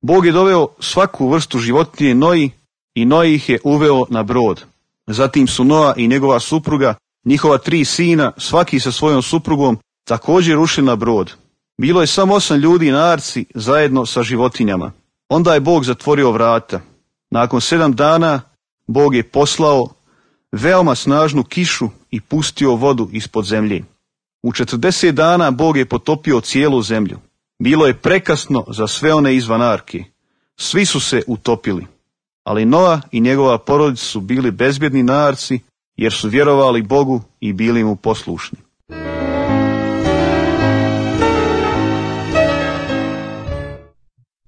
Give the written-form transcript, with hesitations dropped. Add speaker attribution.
Speaker 1: Bog je doveo svaku vrstu životinje Noji i Noji ih je uveo na brod. Zatim su Noa i njegova supruga, njihova 3 sina, svaki sa svojom suprugom, također ušli na brod. Bilo je samo 8 ljudi na arci zajedno sa životinjama. Onda je Bog zatvorio vrata. Nakon 7 dana Bog je poslao veoma snažnu kišu i pustio vodu ispod zemlje. U 40 dana Bog je potopio cijelu zemlju. Bilo je prekasno za sve one izvan arke. Svi su se utopili. Ali Noa i njegova porodica su bili bezbjedni na arci, jer su vjerovali Bogu i bili mu poslušni.